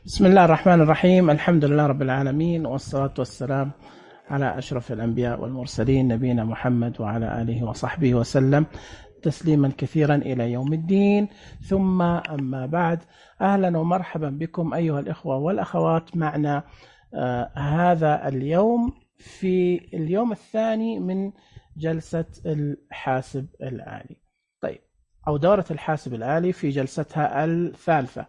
بسم الله الرحمن الرحيم. الحمد لله رب العالمين، والصلاة والسلام على أشرف الأنبياء والمرسلين نبينا محمد وعلى آله وصحبه وسلم تسليما كثيرا إلى يوم الدين. ثم أما بعد، أهلا ومرحبا بكم أيها الإخوة والأخوات معنا هذا اليوم في اليوم الثاني من جلسة الحاسب الآلي، طيب، أو دورة الحاسب الآلي في جلستها الثالثة.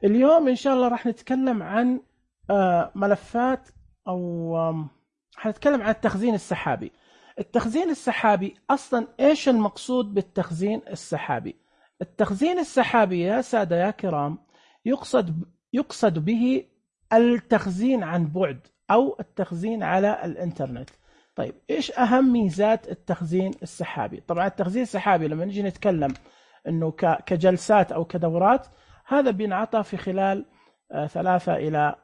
اليوم إن شاء الله راح نتكلم عن ملفات، أو حنتكلم عن التخزين السحابي. التخزين السحابي أصلا إيش المقصود بالتخزين السحابي؟ التخزين السحابي يا سادة يا كرام يقصد به التخزين عن بعد أو التخزين على الإنترنت. طيب، إيش أهم ميزات التخزين السحابي؟ طبعا التخزين السحابي لما نجي نتكلم إنه كجلسات أو كدورات، هذا بينعطى في خلال 3 إلى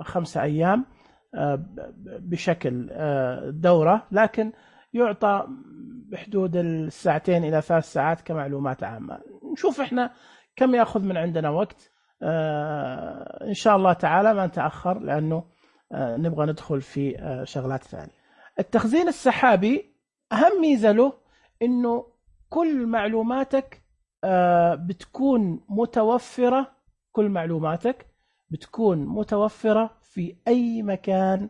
5 أيام بشكل دورة، لكن يعطى بحدود 2 إلى 3 ساعات كمعلومات عامة. نشوف إحنا كم يأخذ من عندنا وقت إن شاء الله تعالى، ما نتأخر لأنه نبغى ندخل في شغلات ثانية. التخزين السحابي أهم ميزة له إنه كل معلوماتك بتكون متوفرة، كل معلوماتك بتكون متوفرة في أي مكان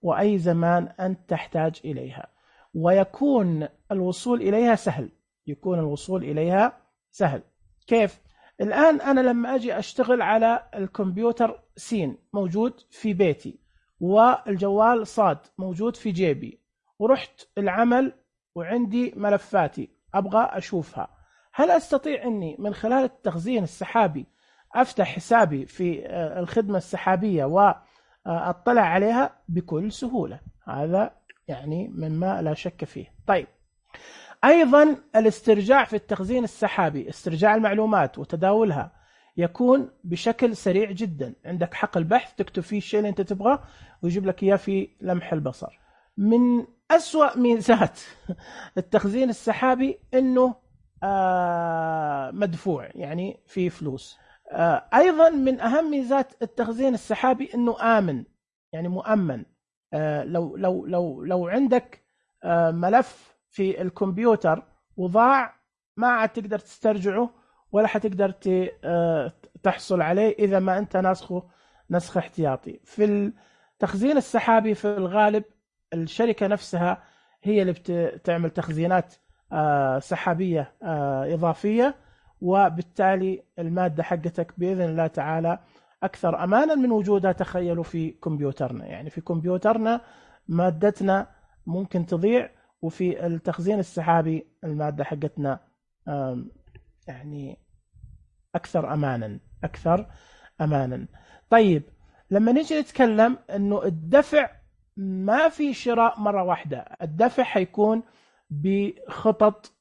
وأي زمان أنت تحتاج إليها، ويكون الوصول إليها سهل. يكون الوصول إليها سهل. كيف؟ الآن أنا لما أجي أشتغل على الكمبيوتر سين موجود في بيتي، والجوال صاد موجود في جيبي، ورحت العمل وعندي ملفاتي أبغى أشوفها، هل أستطيع أني من خلال التخزين السحابي أفتح حسابي في الخدمة السحابية وأطلع عليها بكل سهولة؟ هذا يعني مما لا شك فيه. طيب، أيضا الاسترجاع في التخزين السحابي، استرجاع المعلومات وتداولها يكون بشكل سريع جدا. عندك حقل بحث تكتب فيه الشيء اللي أنت تبغاه ويجيب لك إياه في لمح البصر. من أسوأ ميزات التخزين السحابي أنه مدفوع، يعني في فلوس. أيضا من أهم ميزات التخزين السحابي أنه آمن، يعني مؤمن. لو عندك ملف في الكمبيوتر وضاع، ما عاد تقدر تسترجعه ولا حتقدر تحصل عليه إذا ما أنت نسخ احتياطي. في التخزين السحابي في الغالب الشركة نفسها هي اللي بتعمل تخزينات سحابية إضافية، وبالتالي المادة حقتك بإذن الله تعالى أكثر أمانا من وجودها. تخيلوا في كمبيوترنا، يعني في كمبيوترنا مادتنا ممكن تضيع، وفي التخزين السحابي المادة حقتنا يعني أكثر أمانا. طيب، لما نيجي نتكلم أنه الدفع ما في شراء مرة واحدة، الدفع حيكون بخطط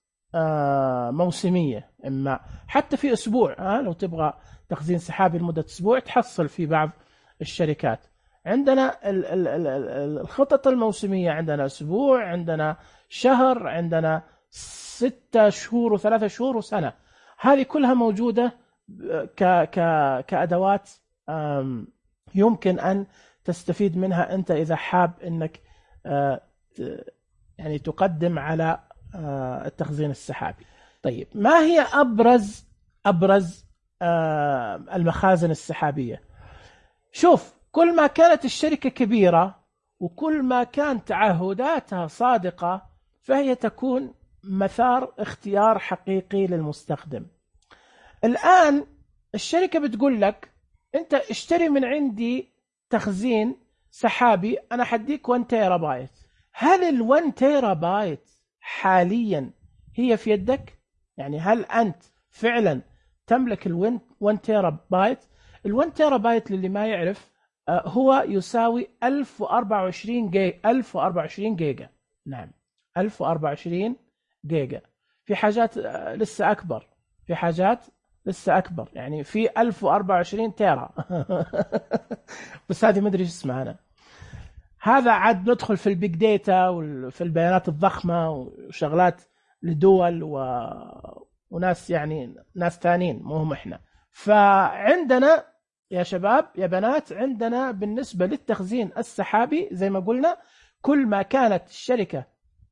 موسمية، إما حتى في أسبوع. لو تبغى تخزين سحابي لمدة أسبوع تحصل في بعض الشركات. عندنا الخطط الموسمية، عندنا أسبوع، عندنا شهر، عندنا 6 شهور و3 شهور وسنة. هذه كلها موجودة كأدوات يمكن أن تستفيد منها أنت إذا حاب أنك يعني تقدم على التخزين السحابي. طيب، ما هي أبرز المخازن السحابية؟ شوف، كل ما كانت الشركة كبيرة وكل ما كانت تعهداتها صادقة، فهي تكون مثار اختيار حقيقي للمستخدم. الآن الشركة بتقول لك أنت اشتري من عندي تخزين سحابي، أنا حديك 1 تيرا بايت. هل ال1 تيرا بايت حاليا هي في يدك؟ يعني هل أنت فعلا تملك ال1 تيرا بايت؟ ال1 تيرا بايت للي ما يعرف هو يساوي 1024 جيجا. نعم، 1024 جيجا. في حاجات لسه أكبر، في حاجات لسه أكبر، يعني في 1024 تيرا بس هذه ما أدري إيش اسمها أنا. هذا عاد ندخل في البيج داتا وفي البيانات الضخمة وشغلات لدول وناس، يعني ناس ثانيين مو هم إحنا. فعندنا يا شباب يا بنات، عندنا بالنسبة للتخزين السحابي زي ما قلنا، كل ما كانت الشركة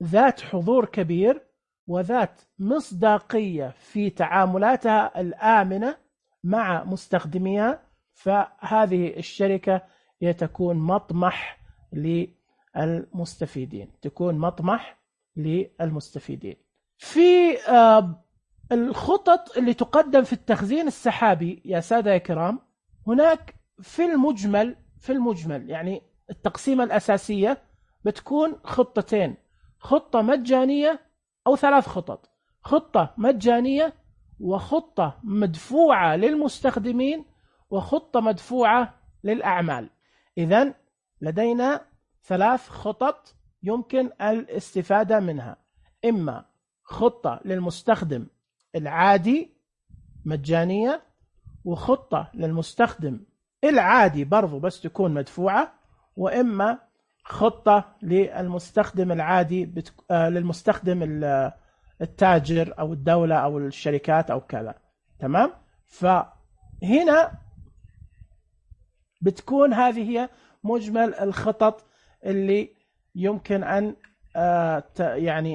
ذات حضور كبير وذات مصداقية في تعاملاتها الآمنة مع مستخدميها، فهذه الشركة تكون مطمح للمستفيدين، تكون مطمح للمستفيدين. في الخطط اللي تقدم في التخزين السحابي يا سادة يا كرام، هناك في المجمل يعني التقسيمة الأساسية بتكون خطتين: خطة مجانية أو 3 خطط: خطة مجانية، وخطة مدفوعة للمستخدمين، وخطة مدفوعة للأعمال. إذن لدينا 3 خطط يمكن الاستفادة منها: إما خطة للمستخدم العادي مجانية، وخطة للمستخدم العادي برضو بس تكون مدفوعة، وإما خطة للمستخدم العادي للمستخدم التاجر أو الدولة أو الشركات أو كذا. تمام؟ فهنا بتكون هذه هي مجمل الخطط اللي يمكن أن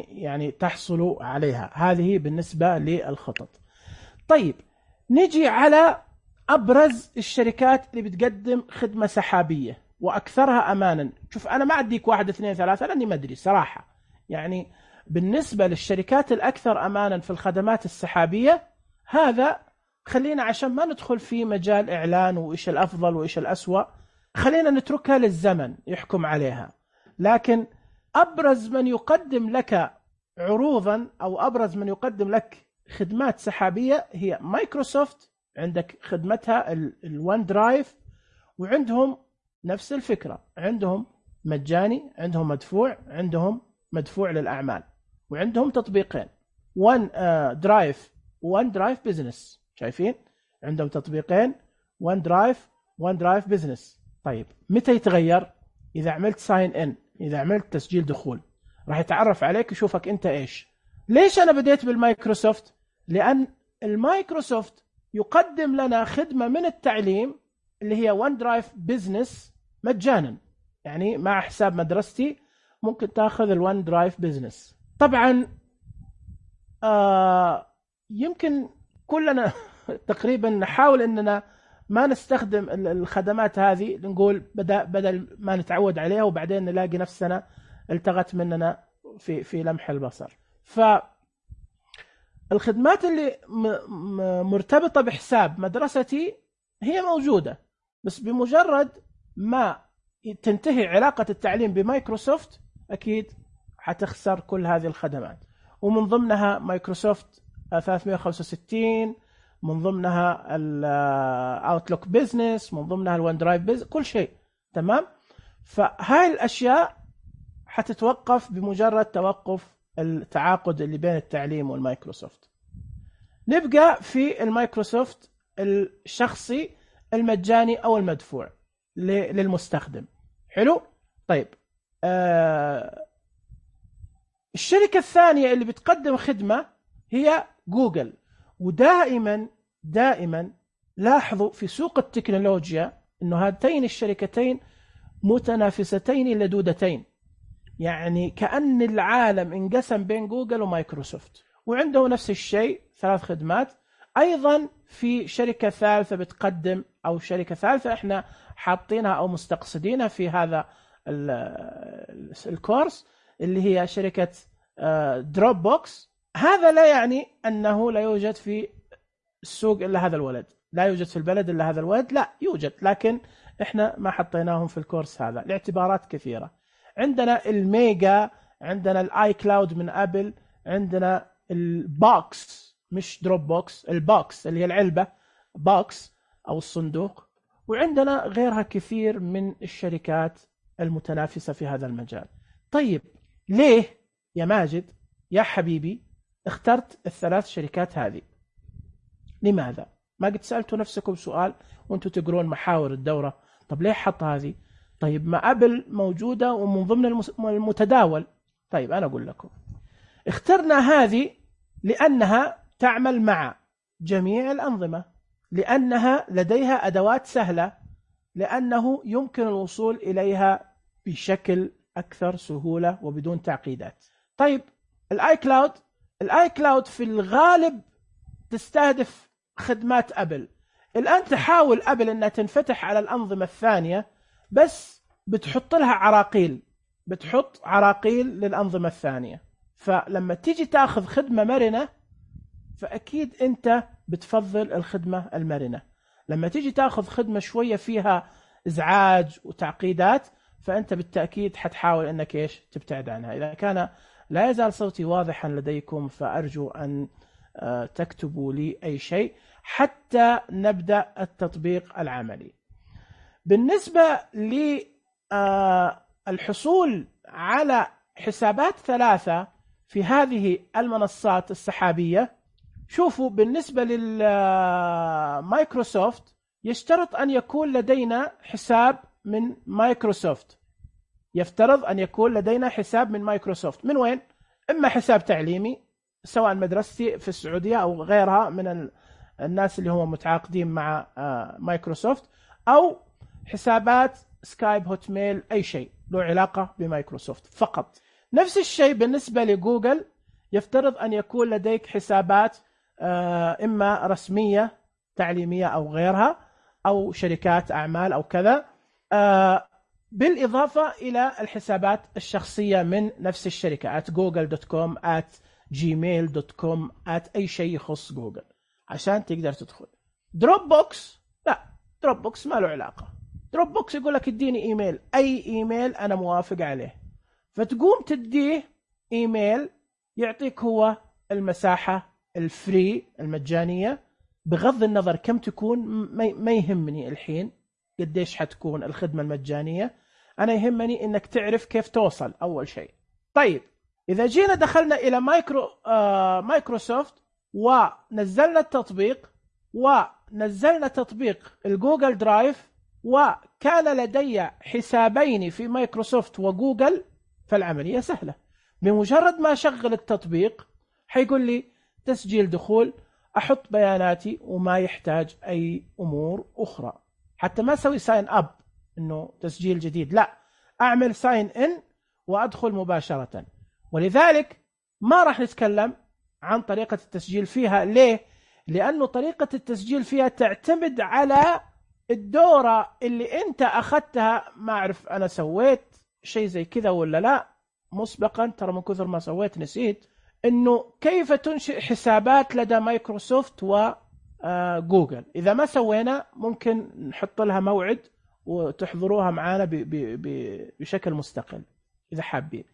يعني تحصلوا عليها. هذه بالنسبة للخطط. طيب نجي على أبرز الشركات اللي بتقدم خدمة سحابية وأكثرها أمانا. شوف أنا ما أديك 1 2 3 لأني ما أدري صراحة، يعني بالنسبة للشركات الأكثر أمانا في الخدمات السحابية، هذا خلينا عشان ما ندخل في مجال إعلان وإيش الأفضل وإيش الأسوأ، خلينا نتركها للزمن يحكم عليها. لكن أبرز من يقدم لك عروضا أو أبرز من يقدم لك خدمات سحابية هي مايكروسوفت. عندك خدمتها الون درايف، وعندهم نفس الفكرة، عندهم مجاني، عندهم مدفوع، عندهم مدفوع للأعمال، وعندهم تطبيقين: ون درايف وون درايف بزنس. شايفين عندهم تطبيقين: ون درايف بزنس. طيب متى يتغير؟ إذا عملت ساين إن، إذا عملت تسجيل دخول، راح يتعرف عليك يشوفك أنت إيش. ليش أنا بديت بالمايكروسوفت؟ لأن المايكروسوفت يقدم لنا خدمة من التعليم اللي هي ون درايف بزنس مجانا، يعني مع حساب مدرستي ممكن تاخذ الون درايف بزنس. طبعا يمكن كلنا تقريبا نحاول أننا ما نستخدم الخدمات هذه، نقول بدل ما نتعود عليها وبعدين نلاقي نفسنا التغت مننا في لمح البصر. فالخدمات اللي مرتبطة بحساب مدرستي هي موجودة، بس بمجرد ما تنتهي علاقة التعليم بمايكروسوفت أكيد حتخسر كل هذه الخدمات، ومن ضمنها مايكروسوفت 365، من ضمنها الاوتلوك بيزنس، من ضمنها الون درايف بيزنس، كل شيء. تمام؟ فهاي الاشياء حتتوقف بمجرد توقف التعاقد اللي بين التعليم والمايكروسوفت. نبقى في المايكروسوفت الشخصي المجاني او المدفوع للمستخدم. حلو؟ طيب الشركة الثانية اللي بتقدم خدمة هي جوجل. ودائما لاحظوا في سوق التكنولوجيا انه هاتين الشركتين متنافستين لدودتين، يعني كأن العالم انقسم بين جوجل ومايكروسوفت، وعنده نفس الشيء 3 خدمات. ايضا في شركة ثالثة بتقدم، او شركة ثالثة احنا حاطينها او مستقصدينها في هذا الكورس، اللي هي شركة دروب بوكس. هذا لا يعني أنه لا يوجد في السوق إلا هذا الولد، لا يوجد في البلد إلا هذا الولد، لا يوجد، لكن إحنا ما حطيناهم في الكورس هذا لاعتبارات كثيرة. عندنا الميجا، عندنا الآي كلاود من أبل، عندنا البوكس مش دروب بوكس، البوكس اللي هي العلبة بوكس أو الصندوق، وعندنا غيرها كثير من الشركات المتنافسة في هذا المجال. طيب ليه يا ماجد يا حبيبي اخترت ال3 شركات هذه؟ لماذا؟ ما قد سألتوا نفسكم سؤال وانتوا تقرون محاور الدورة؟ طب ليه حط هذه؟ طيب ما أبل موجودة ومن ضمن المتداول. طيب أنا أقول لكم، اخترنا هذه لأنها تعمل مع جميع الأنظمة، لأنها لديها أدوات سهلة، لأنه يمكن الوصول إليها بشكل أكثر سهولة وبدون تعقيدات. طيب الآي كلاود في الغالب تستهدف خدمات أبل. الآن تحاول أبل أنها تنفتح على الأنظمة الثانية، بس بتحط لها عراقيل، بتحط عراقيل للأنظمة الثانية. فلما تيجي تأخذ خدمة مرنة فأكيد أنت بتفضل الخدمة المرنة. لما تيجي تأخذ خدمة شوية فيها إزعاج وتعقيدات فأنت بالتأكيد حتحاول أنك إيش تبتعد عنها. إذا كان لا يزال صوتي واضحا لديكم فأرجو أن تكتبوا لي أي شيء حتى نبدأ التطبيق العملي. بالنسبة للحصول على حسابات 3 في هذه المنصات السحابية، شوفوا بالنسبة للمايكروسوفت يشترط أن يكون لدينا حساب من مايكروسوفت. يفترض أن يكون لدينا حساب من مايكروسوفت. من وين؟ إما حساب تعليمي سواء مدرستي في السعودية أو غيرها من الناس اللي هم متعاقدين مع مايكروسوفت، أو حسابات سكايب، هوت ميل، أي شيء له علاقة بمايكروسوفت فقط. نفس الشيء بالنسبة لجوجل، يفترض أن يكون لديك حسابات إما رسمية تعليمية أو غيرها، أو شركات أعمال أو كذا، بالإضافة إلى الحسابات الشخصية من نفس الشركة @google.com @gmail.com أي شيء يخص جوجل عشان تقدر تدخل. دروب بوكس لا، دروب بوكس ما له علاقة. دروب بوكس يقول لك اديني إيميل، أي إيميل أنا موافق عليه، فتقوم تديه إيميل يعطيك هو المساحة الفري المجانية، بغض النظر كم تكون ما يهمني الحين قديش حتكون الخدمة المجانية، أنا يهمني إنك تعرف كيف توصل أول شيء. طيب إذا جينا دخلنا إلى مايكروسوفت ونزلنا التطبيق، ونزلنا تطبيق الجوجل درايف، وكان لدي حسابين في مايكروسوفت وجوجل، فالعملية سهلة. بمجرد ما أشغل التطبيق حيقول لي تسجيل دخول، أحط بياناتي وما يحتاج أي أمور أخرى. حتى ما أسوي ساين أب إنه تسجيل جديد، لا، أعمل ساين إن وأدخل مباشرة. ولذلك ما راح نتكلم عن طريقة التسجيل فيها. ليه؟ لأنه طريقة التسجيل فيها تعتمد على الدورة اللي أنت أخذتها. ما أعرف أنا سويت شيء زي كذا ولا لا مسبقا، ترى من كثر ما سويت نسيت، إنه كيف تنشئ حسابات لدى مايكروسوفت وجوجل. إذا ما سوينا ممكن نحط لها موعد وتحضروها معانا بشكل مستقل إذا حابين.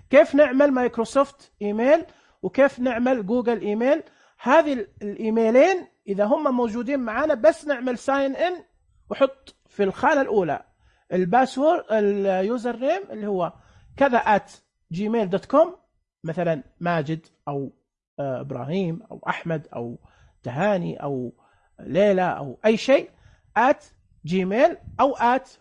كيف نعمل مايكروسوفت إيميل وكيف نعمل جوجل إيميل، هذه الإيميلين إذا هم موجودين معانا بس نعمل ساين إن وحط في الخانة الأولى الباسورد اليوزر نيم اللي هو كذا @gmail.com، مثلا ماجد أو إبراهيم أو أحمد أو تهاني أو ليلى أو أي شيء @gmail أو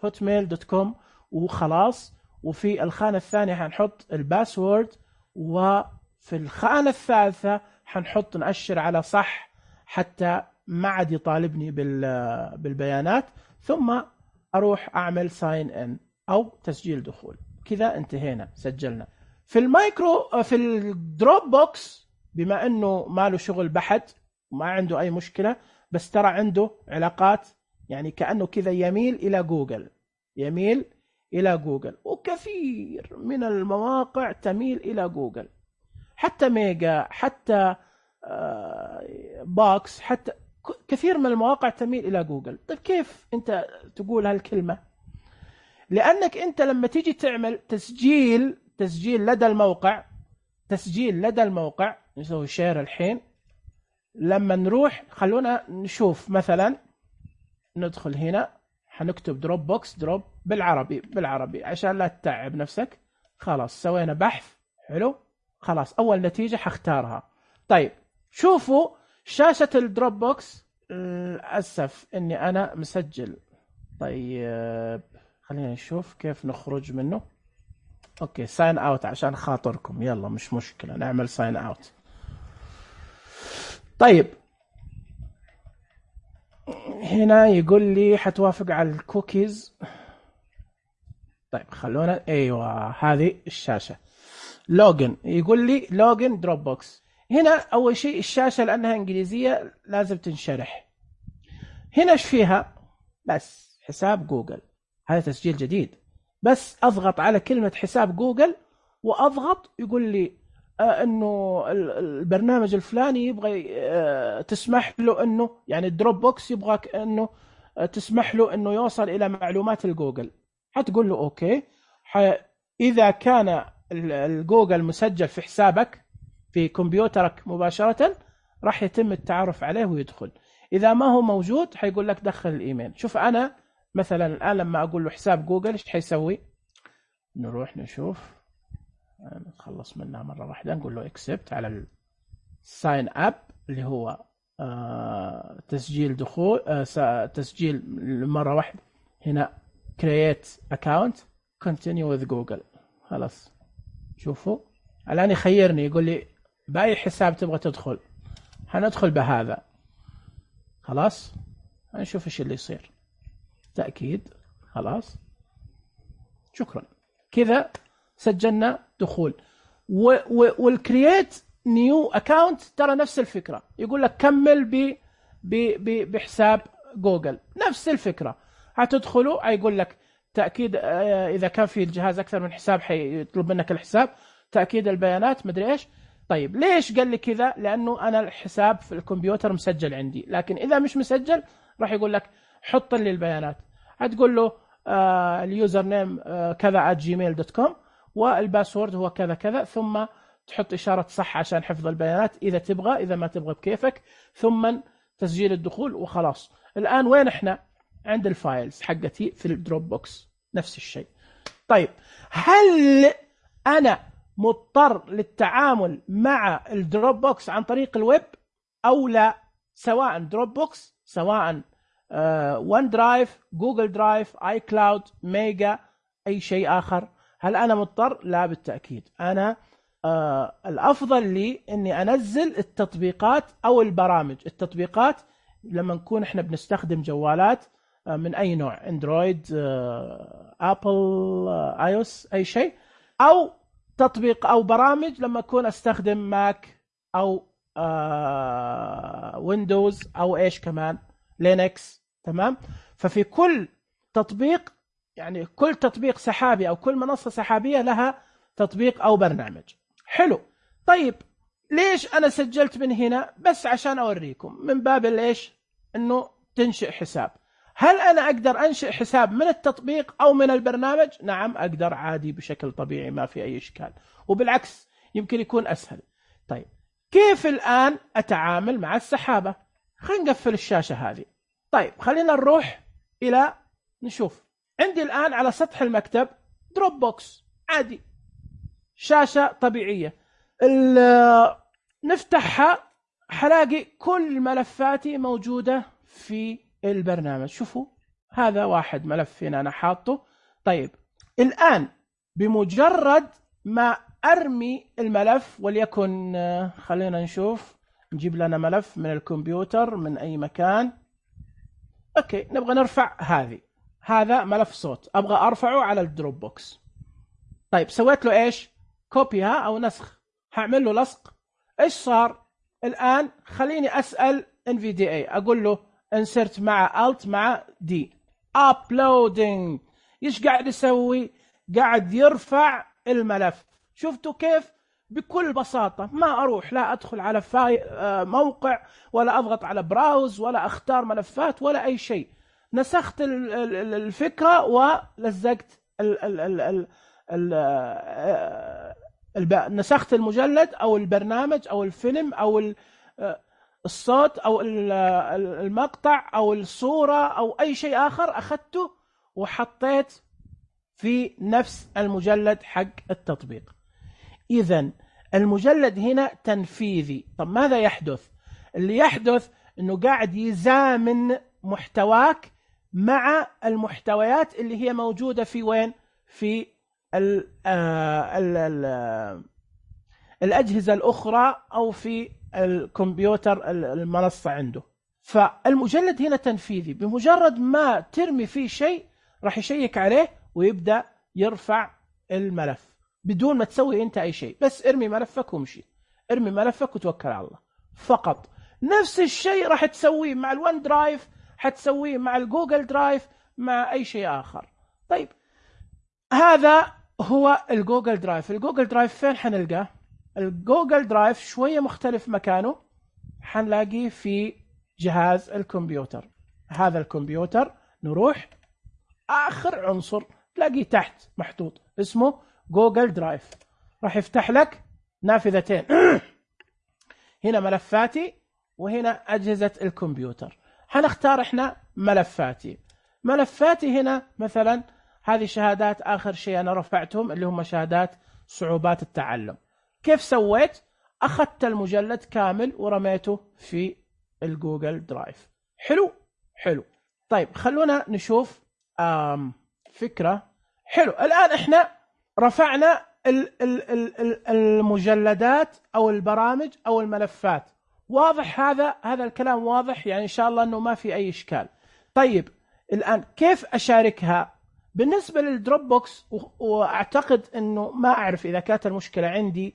@hotmail.com وخلاص. وفي الخانة الثانية حنحط الباسورد، وفي الخانة الثالثة حنحط نأشر على صح حتى ما عاد يطالبني بالبيانات، ثم أروح أعمل ساين إن أو تسجيل دخول. كذا انتهينا، سجلنا. في الدروب بوكس بما أنه ما له شغل بحث وما عنده أي مشكلة، بس ترى عنده علاقات، يعني كأنه كذا يميل إلى جوجل، وكثير من المواقع تميل إلى جوجل، حتى ميجا، حتى باكس، حتى كثير من المواقع تميل إلى جوجل. طيب كيف أنت تقول هالكلمة؟ لأنك أنت لما تيجي تعمل تسجيل لدى الموقع نسوي شير الحين. لما نروح خلونا نشوف، مثلا ندخل هنا حنكتب دروب بوكس، دروب بالعربي عشان لا تتعب نفسك. خلاص سوينا بحث، حلو، خلاص أول نتيجة حختارها. طيب شوفوا شاشة الدروب بوكس، للأسف إني أنا مسجل. طيب خلينا نشوف كيف نخرج منه. أوكي ساين أوت عشان خاطركم، يلا مش مشكلة نعمل ساين أوت. طيب هنا يقول لي حتوافق على الكوكيز. طيب خلونا، ايوه هذه الشاشة لوجن، يقول لي لوجن دروب بوكس. هنا اول شيء الشاشة لانها انجليزية لازم تنشرح. هنا ايش فيها؟ بس حساب جوجل، هذا تسجيل جديد. بس اضغط على كلمة حساب جوجل واضغط، يقول لي انه البرنامج الفلاني يبغى تسمح له انه، يعني الدروب بوكس يبغاك انه تسمح له انه يوصل الى معلومات الجوجل. حتقول له اوكي. اذا كان الجوجل مسجل في حسابك في كمبيوترك مباشرة راح يتم التعرف عليه ويدخل. اذا ما هو موجود حيقول لك دخل الايميل. شوف انا مثلا الان لما اقول له حساب جوجل ايش حيسوي؟ نروح نشوف، نتخلص منها مرة واحدة، نقول له اكسبت على الساين اب اللي هو تسجيل دخول، تسجيل مرة واحدة. هنا create account continue with Google. خلاص شوفوا الآن يخيرني، يقول لي بأي حساب تبغى تدخل. هندخل بهذا. خلاص هنشوف ايش اللي يصير. تأكيد. خلاص شكرا كذا سجلنا دخول. والكرييت نيو اكاونت ترى نفس الفكره، يقول لك كمل بحساب جوجل، نفس الفكره. هتدخلوا هيقول لك تاكيد اذا كان في الجهاز اكثر من حساب حيطلب منك الحساب، تاكيد البيانات مدري ايش. طيب ليش قال لي كذا؟ لانه انا الحساب في الكمبيوتر مسجل عندي، لكن اذا مش مسجل راح يقول لك حط لي البيانات. هتقول له اليوزر نيم كذا @gmail.com والباسورد هو كذا كذا، ثم تحط إشارة صح عشان حفظ البيانات إذا تبغى، إذا ما تبغى بكيفك، ثم تسجيل الدخول وخلاص. الآن وين إحنا؟ عند الفايلز حقتي في الدروب بوكس، نفس الشيء. طيب هل أنا مضطر للتعامل مع الدروب بوكس عن طريق الويب أو لا؟ سواء دروب بوكس، سواء ون درايف، جوجل درايف، اي كلاود، ميجا، اي شيء اخر، هل انا مضطر؟ لا بالتاكيد. انا الافضل لي اني انزل التطبيقات او البرامج. التطبيقات لما نكون احنا بنستخدم جوالات من اي نوع، اندرويد، ابل، اي او اس، اي شيء، او تطبيق او برامج لما اكون استخدم ماك او ويندوز او ايش كمان لينكس. تمام. ففي كل تطبيق، يعني كل تطبيق سحابي او كل منصة سحابية لها تطبيق او برنامج. حلو. طيب ليش انا سجلت من هنا؟ بس عشان اوريكم من باب ايش، انه تنشئ حساب. هل انا اقدر انشئ حساب من التطبيق او من البرنامج؟ نعم اقدر عادي بشكل طبيعي، ما في اي اشكال، وبالعكس يمكن يكون اسهل. طيب كيف الان اتعامل مع السحابة؟ خلينا نقفل الشاشة هذه. طيب خلينا نروح الى نشوف. عندي الان على سطح المكتب دروب بوكس عادي، شاشة طبيعية. نفتحها حلاقي كل ملفاتي موجودة في البرنامج. شوفوا هذا واحد ملف هنا أنا حاطه. طيب الآن بمجرد ما أرمي الملف، وليكن خلينا نشوف، نجيب لنا ملف من الكمبيوتر من أي مكان. أوكي نبغى نرفع هذا ملف صوت، أبغى أرفعه على الدروب بوكس. طيب سويت له إيش؟ كوبيها أو نسخ. هعمل له لصق. إيش صار الآن؟ خليني أسأل NVDA، أقول له insert مع alt مع D uploading. إيش قاعد يسوي؟ قاعد يرفع الملف. شفتوا كيف؟ بكل بساطة، ما أروح لا أدخل على موقع، ولا أضغط على براوز، ولا أختار ملفات، ولا أي شيء. نسخت الفكرة ولزقت نسخت المجلد أو البرنامج أو الفيلم أو الصوت أو المقطع أو الصورة أو أي شيء آخر، أخذته وحطيت في نفس المجلد حق التطبيق. إذن المجلد هنا تنفيذي. طب ماذا يحدث؟ اللي يحدث أنه قاعد يزامن محتواك مع المحتويات اللي هي موجودة في وين؟ في الأجهزة الأخرى أو في الكمبيوتر المنصة عنده. فالمجلد هنا تنفيذي، بمجرد ما ترمي فيه شيء راح يشيك عليه ويبدأ يرفع الملف بدون ما تسوي انت اي شيء، بس ارمي ملفك وامشي، ارمي ملفك وتوكل على الله فقط. نفس الشيء راح تسويه مع الون درايف، حتسويه مع الجوجل درايف، مع اي شيء اخر. طيب هذا هو الجوجل درايف. الجوجل درايف فين حنلقاه؟ الجوجل درايف شوية مختلف مكانه، حنلاقيه في جهاز الكمبيوتر. هذا الكمبيوتر نروح آخر عنصر تلاقيه تحت محطوط اسمه جوجل درايف، راح يفتح لك نافذتين هنا ملفاتي وهنا أجهزة الكمبيوتر. حنختار احنا ملفاتي. ملفاتي هنا مثلا هذه شهادات آخر شيء أنا رفعتهم اللي هم شهادات صعوبات التعلم. كيف سويت؟ أخذت المجلد كامل ورميته في الجوجل درايف. حلو حلو. طيب خلونا نشوف فكرة. حلو، الآن احنا رفعنا المجلدات أو البرامج أو الملفات. واضح هذا الكلام واضح يعني إن شاء الله أنه ما في أي إشكال. طيب الآن كيف أشاركها؟ بالنسبة للدروب بوكس، وأعتقد أنه ما أعرف إذا كانت المشكلة عندي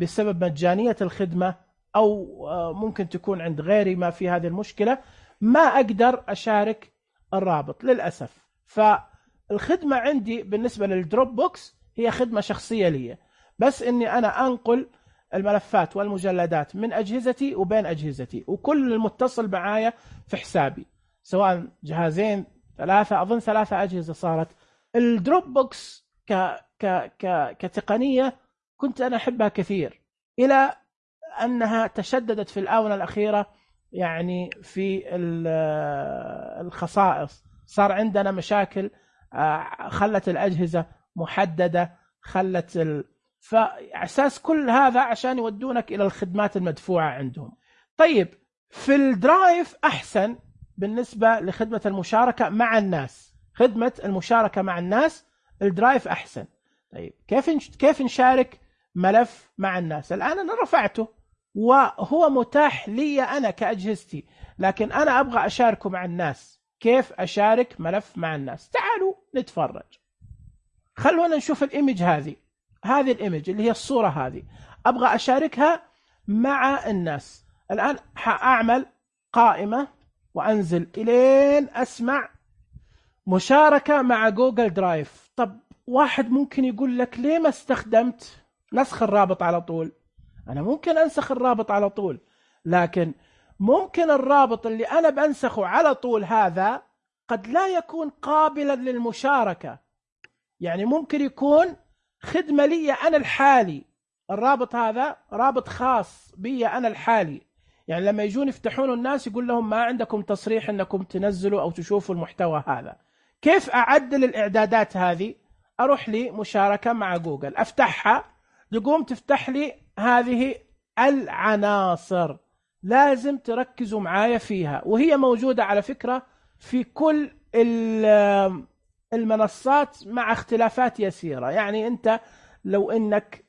بسبب مجانية الخدمة أو ممكن تكون عند غيري ما في هذه المشكلة، ما أقدر أشارك الرابط للأسف. فالخدمة عندي بالنسبة للدروب بوكس هي خدمة شخصية لي، بس أني أنا أنقل الملفات والمجلدات من أجهزتي وبين أجهزتي، وكل المتصل معايا في حسابي سواء جهازين ثلاثة، أظن 3 أجهزة صارت. الدروب بوكس كتقنية كنت أنا أحبها كثير، إلى أنها تشددت في الآونة الأخيرة يعني في الخصائص. صار عندنا مشاكل، خلت الأجهزة محددة، خلت فأساس كل هذا عشان يودونك إلى الخدمات المدفوعة عندهم. طيب في الدرايف أحسن بالنسبة لخدمة المشاركة مع الناس. خدمة المشاركة مع الناس الدرايف أحسن. طيب كيف نشارك ملف مع الناس؟ الآن أنا رفعته وهو متاح لي أنا كأجهزتي، لكن أنا أبغى أشاركه مع الناس. كيف أشارك ملف مع الناس؟ تعالوا نتفرج. خلونا نشوف الإيمج هذه الإيمج اللي هي الصورة هذه، أبغى أشاركها مع الناس. الآن أعمل قائمة وأنزل إلين أسمع مشاركة مع جوجل درايف. طب واحد ممكن يقول لك ليه ما استخدمت نسخ الرابط على طول؟ أنا ممكن أنسخ الرابط على طول، لكن ممكن الرابط اللي أنا بنسخه على طول هذا قد لا يكون قابلا للمشاركة. يعني ممكن يكون خدمة لي أنا الحالي، الرابط هذا رابط خاص بي أنا الحالي. يعني لما يجون يفتحون الناس يقول لهم ما عندكم تصريح أنكم تنزلوا أو تشوفوا المحتوى هذا. كيف أعدل الإعدادات هذه؟ أروح لي مشاركة مع جوجل، أفتحها، يقوم تفتح لي هذه العناصر. لازم تركزوا معايا فيها، وهي موجودة على فكرة في كل المنصات مع اختلافات يسيرة. يعني أنت لو أنك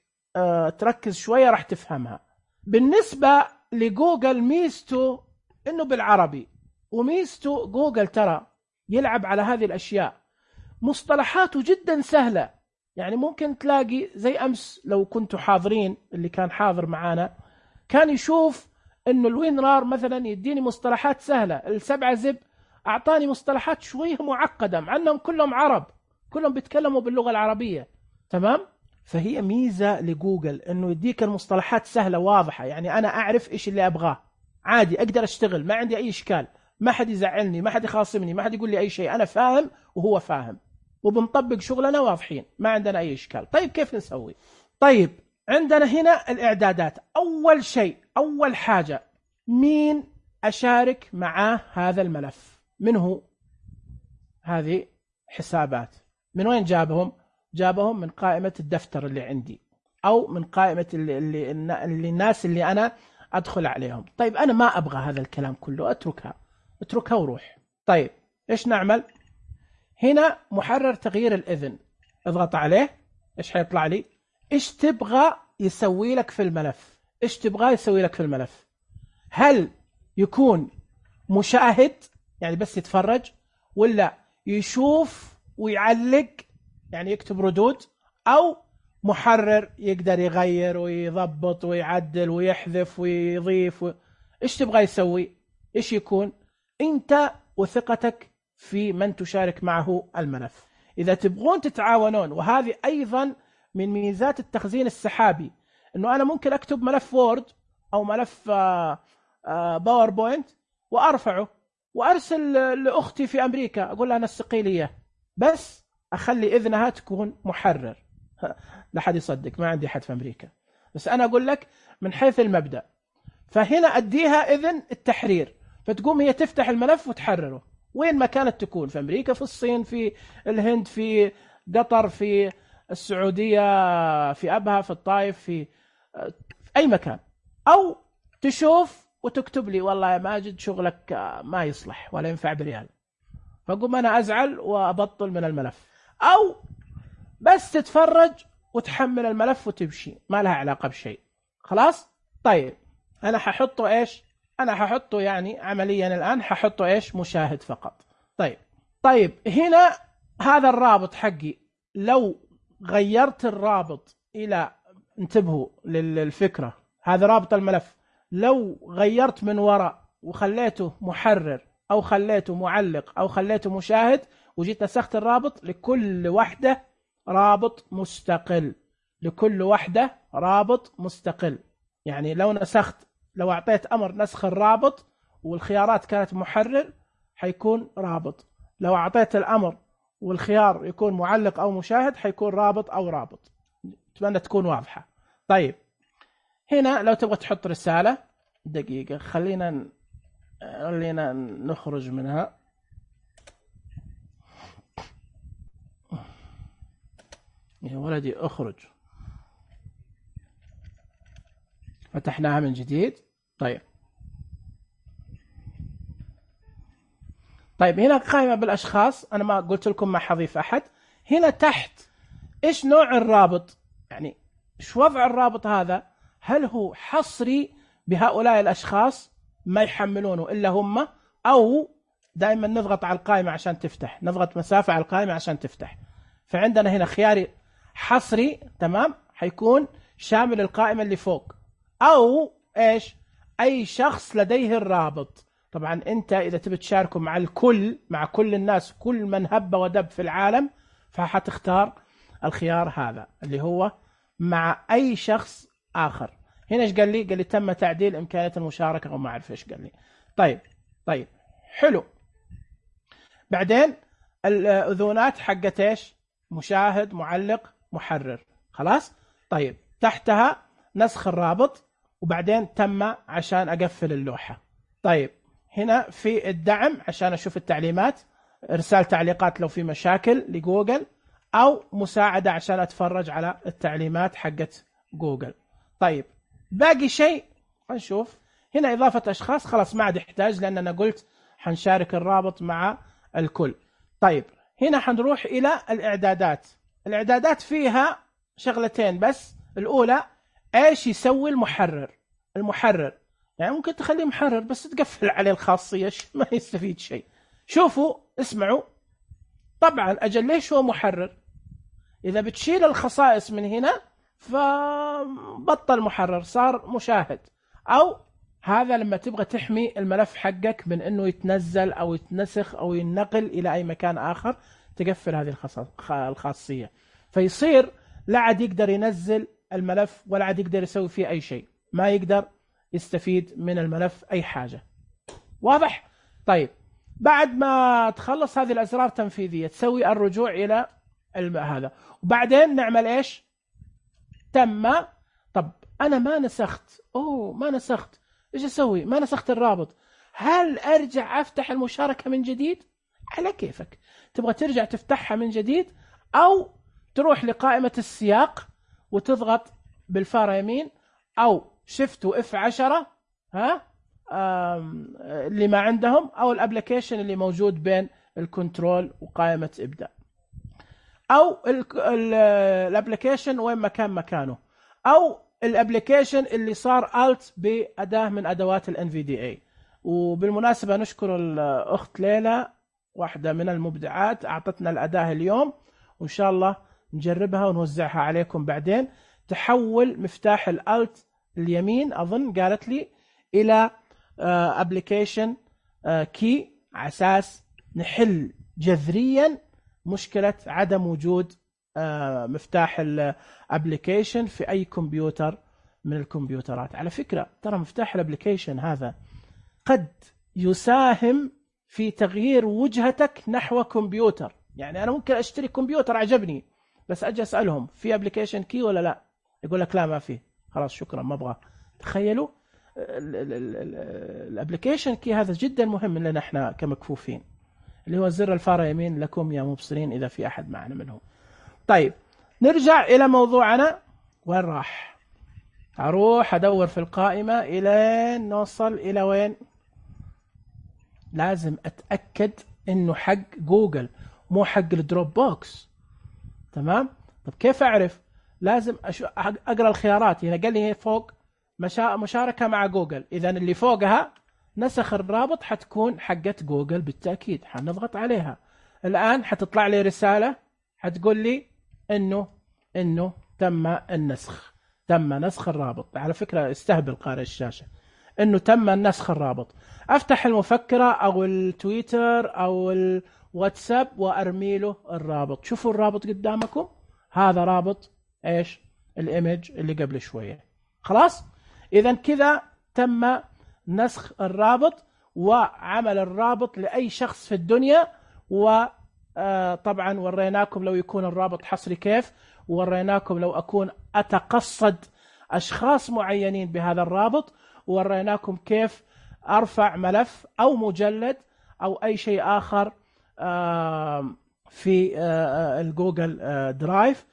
تركز شوية راح تفهمها. بالنسبة لجوجل ميزته أنه بالعربي، وميزته جوجل ترى يلعب على هذه الأشياء. مصطلحاته جدا سهلة، يعني ممكن تلاقي زي أمس لو كنتوا حاضرين، اللي كان حاضر معانا كان يشوف أنه الوينرار مثلا يديني مصطلحات سهلة. ال7 زب أعطاني مصطلحات شوية معقدة مع أنهم كلهم عرب، كلهم بيتكلموا باللغة العربية، تمام؟ فهي ميزة لجوجل أنه يديك المصطلحات سهلة واضحة. يعني أنا أعرف إيش اللي أبغاه عادي، أقدر أشتغل، ما عندي أي إشكال، ما حد يزعلني، ما حد يخاصمني، ما حد يقول لي أي شيء. أنا فاهم وهو فاهم، وبنطبق شغلنا واضحين، ما عندنا أي إشكال. طيب كيف نسوي؟ طيب عندنا هنا الإعدادات. أول شيء، أول حاجة، مين أشارك معاه هذا الملف؟ من هو؟ هذه حسابات. من وين جابهم؟ جابهم من قائمة الدفتر اللي عندي، أو من قائمة اللي الناس اللي أنا أدخل عليهم. طيب أنا ما أبغى هذا الكلام كله، اتركها وروح. طيب إيش نعمل؟ هنا محرر تغيير الإذن، اضغط عليه. إيش حيطلع لي؟ إيش تبغى يسوي لك في الملف؟ إيش تبغى يسوي لك في الملف؟ هل يكون مشاهد يعني بس يتفرج، ولا يشوف ويعلق يعني يكتب ردود، أو محرر يقدر يغير ويضبط ويعدل ويحذف ويضيف إيش تبغى يسوي؟ إيش يكون؟ أنت وثقتك في من تشارك معه الملف. إذا تبغون تتعاونون، وهذه أيضا من ميزات التخزين السحابي، أنه أنا ممكن أكتب ملف وورد أو ملف باوربوينت وأرفعه وأرسل لأختي في أمريكا، أقول لها نسقي لي إياه، بس أخلي إذنها تكون محرر. لا حد يصدق، ما عندي حد في أمريكا، بس أنا أقول لك من حيث المبدأ. فهنا أديها إذن التحرير، فتقوم هي تفتح الملف وتحرره وين ما كانت تكون، في أمريكا، في الصين، في الهند، في قطر، في السعودية، في أبها، في الطائف، في أي مكان. أو تشوف وتكتب لي والله يا ماجد شغلك ما يصلح ولا ينفع بريال، فقوم أنا أزعل وأبطل من الملف، أو بس تتفرج وتحمل الملف وتمشي، ما لها علاقة بشيء. خلاص؟ طيب أنا ححطه إيش؟ أنا ححطه يعني عمليا الآن ححطه إيش؟ مشاهد فقط. طيب هنا هذا الرابط حقي، لو غيرت الرابط إلى، انتبهوا للفكرة، هذا رابط الملف، لو غيرت من وراء وخليته محرر أو خليته معلق أو خليته مشاهد وجيت نسخت الرابط، لكل وحدة رابط مستقل، لكل وحدة رابط مستقل. يعني لو نسخت، لو أعطيت أمر نسخ الرابط والخيارات كانت محرر حيكون رابط، لو أعطيت الأمر والخيار يكون معلق أو مشاهد حيكون رابط أو رابط. أتمنى تكون واضحة. طيب هنا لو تبغى تحط رسالة، دقيقة خلينا نخرج منها. يا ولدي اخرج، فتحناها من جديد. طيب هنا قائمة بالأشخاص، أنا ما قلت لكم ما حضيف أحد. هنا تحت إيش نوع الرابط، يعني إيش وضع الرابط هذا، هل هو حصري بهؤلاء الأشخاص ما يحملونه إلا هم، أو دائما نضغط على القائمة عشان تفتح، نضغط مسافة على القائمة عشان تفتح. فعندنا هنا خياري حصري، تمام، حيكون شامل القائمة اللي فوق، أو إيش أي شخص لديه الرابط. طبعا أنت إذا تبي تشاركه مع الكل، مع كل الناس، كل من هب ودب في العالم، فحتختار الخيار هذا اللي هو مع أي شخص آخر. هنا إيش قال لي؟ قال لي تم تعديل إمكانية المشاركة، أو ما أعرف إيش قال لي. طيب حلو. بعدين الأذونات حقت إيش؟ مشاهد، معلق، محرر. خلاص. طيب تحتها نسخ الرابط، وبعدين تم عشان أقفل اللوحة. طيب هنا في الدعم عشان أشوف التعليمات، إرسال تعليقات لو في مشاكل لجوجل، أو مساعدة عشان أتفرج على التعليمات حقت جوجل. طيب باقي شيء نشوف هنا إضافة أشخاص، خلاص ما عاد يحتاج لأن أنا قلت حنشارك الرابط مع الكل. طيب هنا حنروح إلى الإعدادات. الإعدادات فيها شغلتين بس. الأولى إيش يسوي المحرر يعني ممكن تخليه محرر بس تقفل عليه الخاصية، ما يستفيد شيء. شوفوا اسمعوا، طبعا أجل ليش هو محرر؟ إذا بتشيل الخصائص من هنا فبطل محرر، صار مشاهد. أو هذا لما تبغى تحمي الملف حقك من أنه يتنزل أو يتنسخ أو ينقل إلى أي مكان آخر، تقفل هذه الخاصية، فيصير لا عاد يقدر ينزل الملف ولا عاد يقدر يسوي فيه أي شيء، ما يقدر يستفيد من الملف أي حاجة. واضح؟ طيب بعد ما تخلص هذه الأزرار التنفيذية تسوي الرجوع إلى هذا، وبعدين نعمل إيش؟ تم. طب أنا ما نسخت، ما نسخت، إيش أسوي؟ ما نسخت الرابط، هل أرجع أفتح المشاركة من جديد؟ على كيفك، تبغى ترجع تفتحها من جديد، أو تروح لقائمة السياق وتضغط بالفارة يمين أو شيفت وإف 10 اللي ما عندهم، أو الابليكيشن اللي موجود بين الكنترول وقائمة ابدأ، أو الابليكيشن وين ما كان مكانه، أو الابليكيشن اللي صار Alt بأداة من أدوات ال NVDA. وبالمناسبة نشكر الأخت ليلى، واحدة من المبدعات، أعطتنا الأداة اليوم، وإن شاء الله نجربها ونوزعها عليكم بعدين. تحول مفتاح الألت اليمين أظن قالت لي إلى أبليكيشن كي، على أساس نحل جذريا مشكلة عدم وجود مفتاح الابليكيشن في أي كمبيوتر من الكمبيوترات. على فكرة ترى مفتاح الابليكيشن هذا قد يساهم في تغيير وجهتك نحو كمبيوتر. يعني أنا ممكن أشتري كمبيوتر عجبني، بس أجي أسألهم في ابليكيشن كي ولا لا، يقول لك لا ما فيه، خلاص شكرا ما أبغى. تخيلوا الابليكيشن كي هذا جدا مهم لنا احنا كمكفوفين، اللي هو زر الفار يمين لكم يا مبصرين إذا في أحد معنا منهم. طيب نرجع إلى موضوعنا. وين راح؟ أروح أدور في القائمة إلى نوصل إلى وين؟ لازم أتأكد إنه حق جوجل مو حق الدروب بوكس. تمام؟ طب كيف أعرف؟ لازم أقرأ الخيارات. هنا قال لي فوق مشاركة مع جوجل، إذا اللي فوقها نسخ الرابط حتكون حقت جوجل بالتأكيد، حنضغط عليها. الآن حتطلع لي رسالة حتقول لي إنه تم النسخ، تم نسخ الرابط. على فكرة استهبل قارئ الشاشة إنه تم نسخ الرابط. أفتح المفكرة أو التويتر أو الواتساب وأرمي له الرابط. شوفوا الرابط قدامكم، هذا رابط إيش؟ الإيمج اللي قبل شوية. خلاص؟ إذا كذا تم نسخ الرابط وعمل الرابط لأي شخص في الدنيا. وطبعا وريناكم لو يكون الرابط حصري كيف، ووريناكم لو أكون أتقصد أشخاص معينين بهذا الرابط، ووريناكم كيف أرفع ملف أو مجلد أو أي شيء آخر في الجوجل درايف.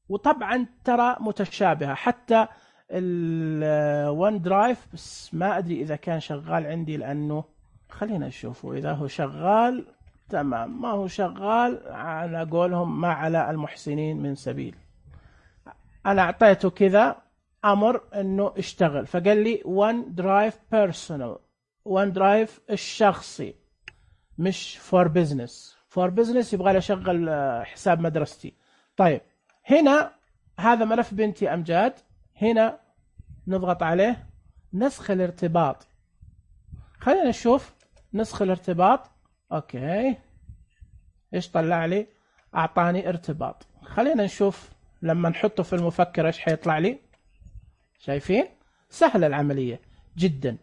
وطبعا ترى متشابهة حتى الون درايف، بس ما أدري إذا كان شغال عندي، لأنه خلينا نشوفه إذا هو شغال. تمام، ما هو شغال على قولهم ما على المحسنين من سبيل. أنا أعطيته كذا أمر إنه اشتغل، فقال لي ون درايف بيرسونال، ون درايف الشخصي مش فور بيزنس. فور بيزنس يبغى لي أشغل حساب مدرستي. طيب هنا هذا ملف بنتي أمجاد، هنا نضغط عليه نسخ الارتباط. خلينا نشوف نسخ الارتباط. اوكي ايش طلع لي؟ اعطاني ارتباط. خلينا نشوف لما نحطه في المفكر ايش حيطلع لي. شايفين؟ سهلة العملية جدا.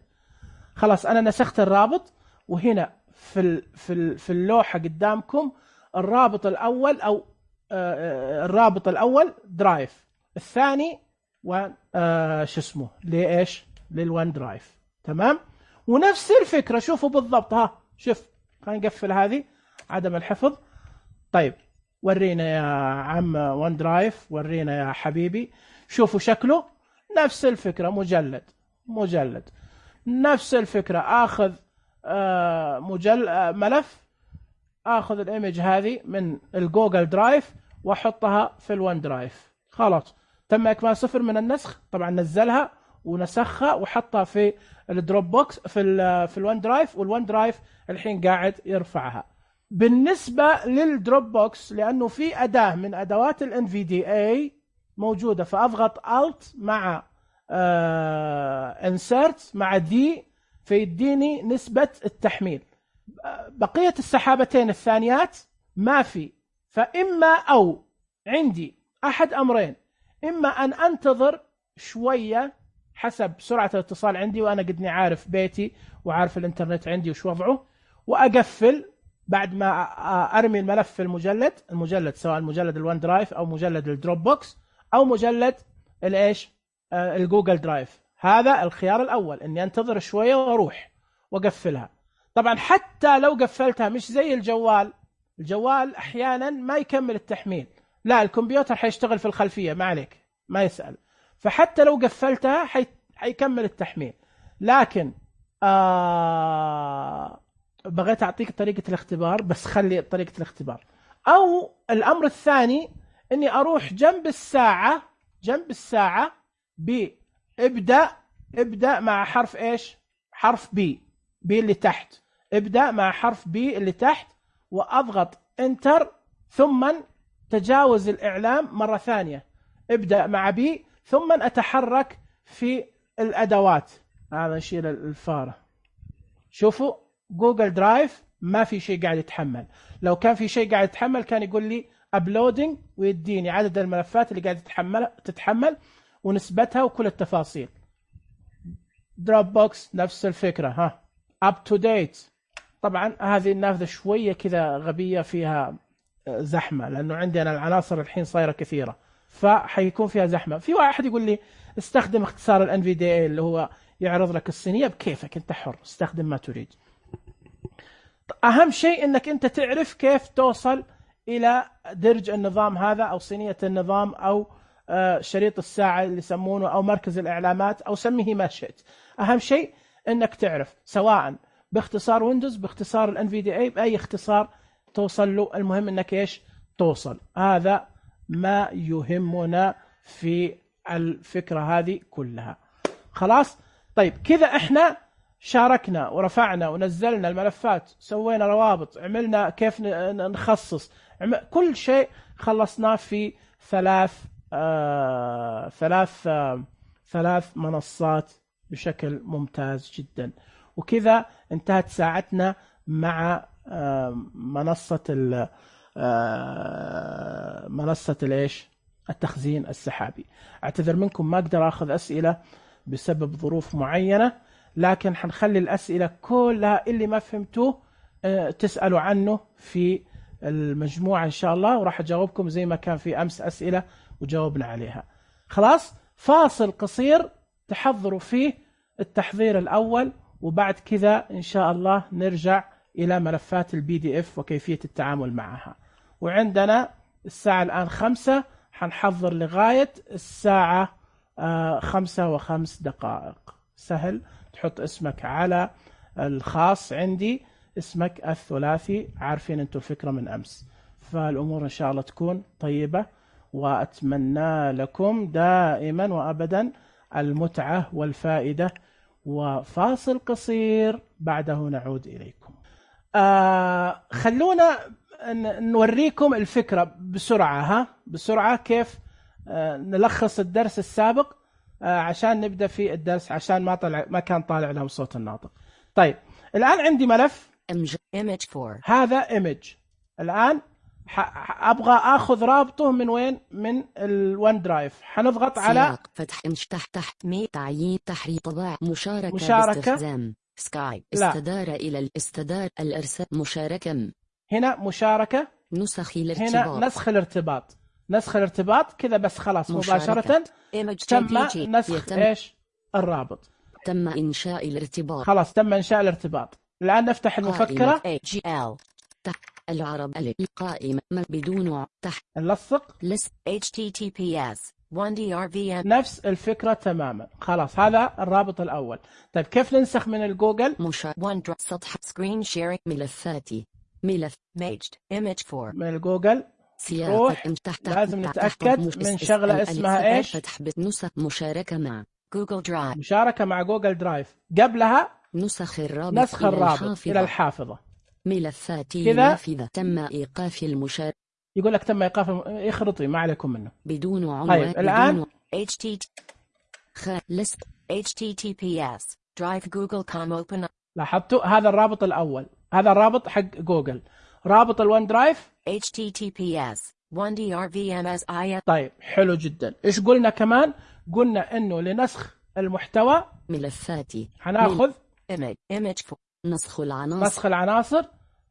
خلاص انا نسخت الرابط، وهنا في اللوحة قدامكم الرابط الاول او الرابط الاول درايف، الثاني شو اسمه ليش للون درايف. تمام، ونفس الفكرة شوفوا بالضبط. ها شوف، خلينا نقفل هذه عدم الحفظ. طيب ورينا يا عم ون درايف، ورينا يا حبيبي. شوفوا شكله نفس الفكرة، مجلد نفس الفكرة. اخذ ملف، اخذ الايمج هذه من الجوجل درايف واحطها في الون درايف. خلاص تم اكمال 0 من النسخ. طبعا نزلها ونسخها وحطها في الدروب بوكس في الون درايف، والون درايف الحين قاعد يرفعها. بالنسبة للدروب بوكس، لأنه في أداة من أدوات ال NVDA موجودة، فأضغط Alt مع Insert مع D فيديني نسبة التحميل. بقية السحابتين الثانيات ما في، فإما أو عندي أحد أمرين، إما أن أنتظر شوية حسب سرعة الاتصال عندي، وأنا قدني عارف بيتي وعارف الإنترنت عندي وش وضعه، وأقفل بعد ما أرمي الملف في المجلد سواء مجلد الون درايف أو مجلد الدروب بوكس أو مجلد الإيش الجوجل درايف. هذا الخيار الأول، إني أنتظر شوية وأروح وأقفلها. طبعا حتى لو قفلتها مش زي الجوال أحيانا ما يكمل التحميل، لا الكمبيوتر حيشتغل في الخلفية ما عليك ما يسأل، فحتى لو قفلتها حيكمل التحميل. لكن بغيت أعطيك طريقة الاختبار، بس خلي طريقة الاختبار. أو الأمر الثاني إني أروح جنب الساعة ابدأ مع حرف إيش؟ حرف بي اللي تحت، ابدأ مع حرف بي اللي تحت وأضغط انتر، ثم تجاوز الإعلام مرة ثانية، ابدأ مع بي، ثم أتحرك في الأدوات. هذا نشيل الفارة. شوفوا جوجل درايف ما في شيء قاعد يتحمل، لو كان في شيء قاعد يتحمل كان يقول لي أبلودينج ويديني عدد الملفات اللي قاعد تتحمل ونسبتها وكل التفاصيل. دروب بوكس نفس الفكرة، اب تو ديت. طبعا هذه النافذة شوية كذا غبية، فيها زحمة لأنه عندي أنا العناصر الحين صايرة كثيرة، فحيكون فيها زحمة. في واحد يقول لي استخدم اختصار ال NVDA اللي هو يعرض لك الصينية، بكيفك أنت حر، استخدم ما تريد. أهم شيء أنك أنت تعرف كيف توصل إلى درج النظام هذا أو صينية النظام أو شريط الساعة اللي يسمونه أو مركز الإعلامات أو سميه ما شئت. أهم شيء أنك تعرف سواء باختصار ويندوز، باختصار ال NVDA، بأي اختصار توصل له، المهم أنك إيش توصل. هذا ما يهمنا في الفكرة هذه كلها. خلاص؟ طيب كذا إحنا شاركنا ورفعنا ونزلنا الملفات، سوينا روابط، عملنا كيف نخصص، كل شيء خلصناه في ثلاث منصات بشكل ممتاز جدا. وكذا انتهت ساعتنا مع منصة الايش التخزين السحابي. اعتذر منكم ما اقدر اخذ اسئلة بسبب ظروف معينة، لكن حنخلي الاسئلة كلها اللي ما فهمتوه تسألوا عنه في المجموعة ان شاء الله، وراح اجاوبكم زي ما كان في امس اسئلة وجاوبنا عليها. خلاص، فاصل قصير تحضروا فيه التحضير الاول، وبعد كذا ان شاء الله نرجع الى ملفات الPDF وكيفية التعامل معها. وعندنا الساعة الان 5، حنحضر لغاية الساعة 5:05. سهل، تحط اسمك على الخاص، عندي اسمك الثلاثي، عارفين انتم الفكرة من امس. فالامور ان شاء الله تكون طيبة، واتمنى لكم دائما وابدا المتعة والفائدة. وفاصل قصير بعده نعود اليكم. خلونا نوريكم الفكرة بسرعة، بسرعة كيف نلخص الدرس السابق عشان نبدأ في الدرس، عشان ما كان طالع لهم صوت الناطق. طيب الآن عندي ملف image4، هذا image. الآن أبغى أخذ رابطه من وين؟ من الون درايف. حنضغط على فتح تحت تعيين تحرير طباع مشاركة باستخدام سكايب، استدار إلى الاستدار الإرسال مشاركة، هنا مشاركة، نسخ الارتباط، هنا نسخ الارتباط، نسخ الارتباط كذا بس. خلاص مباشرة تم نسخ ايش الرابط، تم إنشاء الارتباط. خلاص تم إنشاء الارتباط. الآن نفتح المفكرة العرب القائمة بدون تحت نلصق HTTPS 1DRVM، نفس الفكرة تماما. خلاص هذا الرابط الأول. طيب كيف ننسخ من الجوجل؟ سطح سكرين شيرينج، ملفاتي، ملف ميجد image4 من الجوجل. روح لازم نتأكد من شغلة اسمها ايش؟ فتح نسخ مشاركة مع جوجل درايف، مشاركة مع جوجل درايف. قبلها نسخ الرابط إلى الحافظة. ملفاتي نافذة، تم إيقاف المشاركة. يقول لك تم إيقاف يخرطي، ما عليكم منه بدون عنوان. طيب الآن HTTPS drive google.com open. لاحظتوا هذا الرابط الأول، هذا الرابط حق جوجل. رابط الون درايف HTTPS 1DRVMSI. طيب حلو جدا. إيش قلنا كمان؟ قلنا إنه لنسخ المحتوى ملفاتي هناخذ image نسخ العناصر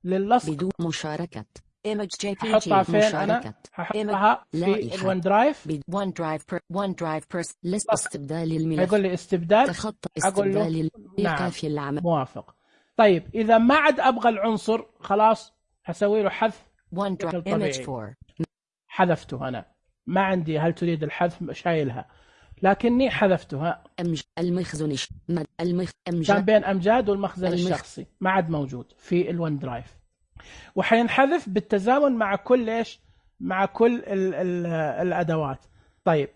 للصق بدون مشاركة image حطها فين؟ أنا ححطها في الون درايف. ون درايف لست استبدال الملف. يقول لي استبدال، أقول له نعم موافق. طيب إذا ما عاد أبغى العنصر خلاص هسوي له حذف بشكل طبيعي. حذفته أنا، ما عندي هل تريد الحذف، شايلها لكني حذفتها. المخزن كان بين أمجاد والمخزن الشخصي، ما عاد موجود في الون درايف، وحينحذف بالتزامن مع كل إيش؟ مع كل الأدوات. طيب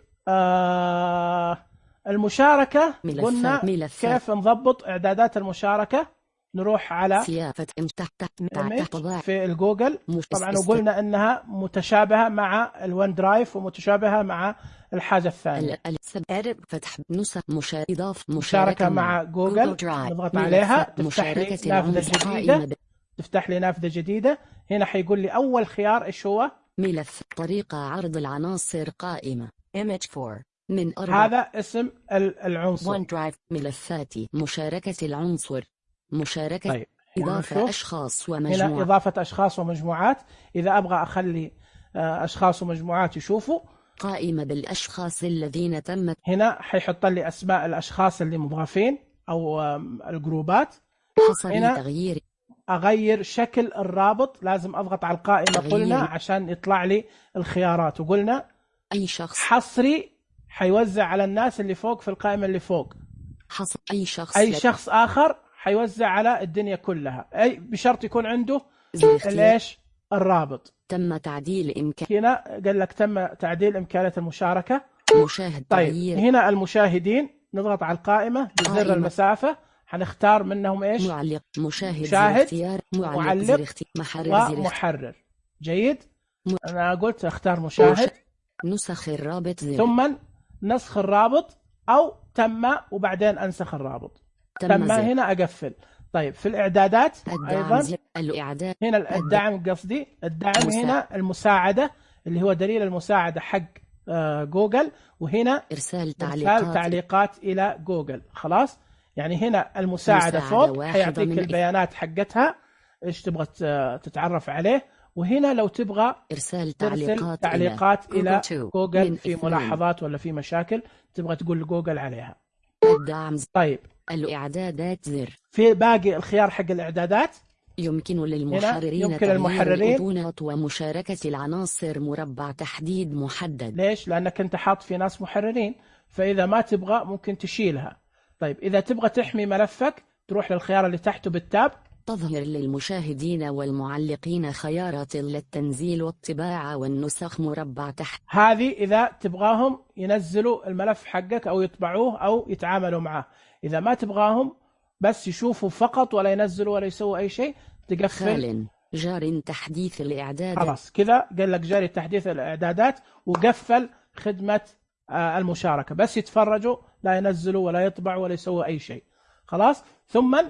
المشاركة قلنا ملفات. كيف نضبط إعدادات المشاركة. نروح على سيافة في الجوجل طبعا، وقلنا إنها متشابهة مع الون درايف ومتشابهة مع الحاجة الثانية. فتح نسخ مشاركة مع جوجل، نضغط عليها تفتح لي نافذة جديدة. هنا حيقول لي أول خيار إيش هو؟ ملف طريقة عرض العناصر قائمة image 4 من 4. هذا اسم العنصر. OneDrive. ملفاتي مشاركة العنصر مشاركة. طيب. إضافة أشخاص ومجموعات. هنا إضافة أشخاص ومجموعات. إذا أبغى أخلي أشخاص ومجموعات يشوفوا قائمة بالأشخاص الذين تمت. هنا حيحط لي أسماء الأشخاص اللي مضافين أو الجروبات. هنا تغيير أغير شكل الرابط، لازم أضغط على القائمة قلنا عشان يطلع لي الخيارات. وقلنا أي شخص حصري حيوزع على الناس اللي فوق في القائمة اللي فوق. حصر أي شخص آخر حيوزع على الدنيا كلها، أي بشرط يكون عنده ليش الرابط. تم تعديل إمكان. هنا قال لك تم تعديل إمكانية المشاركة. مشاهد. طيب تغيير. هنا المشاهدين نضغط على القائمة بزر المسافة، حنختار منهم إيش؟ معلق. مشاهد. معلق. ومحرر. جيد. أنا قلت اختار مشاهد. نسخ الرابط ثم نسخ الرابط أو تم وبعدين أنسخ الرابط. تم هنا أقفل. طيب في الإعدادات أيضا الإعداد. هنا الدعم، قصدي الدعم هنا المساعدة اللي هو دليل المساعدة حق جوجل. وهنا إرسال تعليقات إلى جوجل. خلاص، يعني هنا المساعدة فوق حيعطيك البيانات حقتها إيش تبغى تتعرف عليه. وهنا لو تبغى إرسال تعليقات إلى جوجل في ملاحظات ولا في مشاكل تبغى تقول لجوجل عليها. الدعم. طيب الإعدادات زر. في باقي الخيار حق الإعدادات يمكن للمحررين ومشاركة العناصر مربع تحديد محدد. ليش؟ لأنك أنت حاط في ناس محررين، فإذا ما تبغى ممكن تشيلها. طيب إذا تبغى تحمي ملفك تروح للخيار اللي تحته بالتاب. تظهر للمشاهدين والمعلقين خيارات للتنزيل والطباعة والنسخ مربع تحت. هذه إذا تبغاهم ينزلوا الملف حقك أو يطبعوه أو يتعاملوا معه. إذا ما تبغاهم بس يشوفوا فقط ولا ينزلوا ولا يسووا أي شيء تقفل. جار تحديث الإعداد. خلاص كذا قال لك جاري تحديث الإعدادات وقفل خدمة المشاركة، بس يتفرجوا لا ينزلوا ولا يطبعوا ولا يسووا أي شيء. خلاص. ثم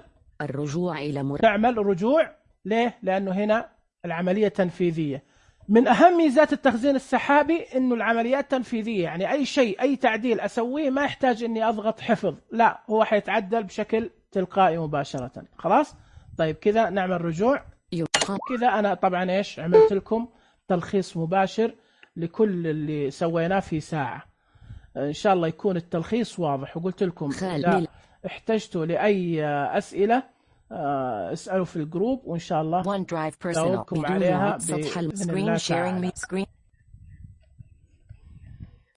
الرجوع إلى تعمل رجوع. ليه؟ لأنه هنا العملية تنفيذية. من أهم ميزات التخزين السحابي إنه العمليات تنفيذية، يعني أي شيء أي تعديل أسويه ما يحتاج إني أضغط حفظ، لا هو حيتعدل بشكل تلقائي مباشرة. خلاص. طيب كذا نعمل رجوع. كذا أنا طبعا إيش عملت لكم تلخيص مباشر لكل اللي سويناه في ساعة. إن شاء الله يكون التلخيص واضح. وقلت لكم إذا احتجتوا لأي أسئلة اسألوا في الجروب وإن شاء الله OneDrive Personal عليها سطح السكرين sharing me screen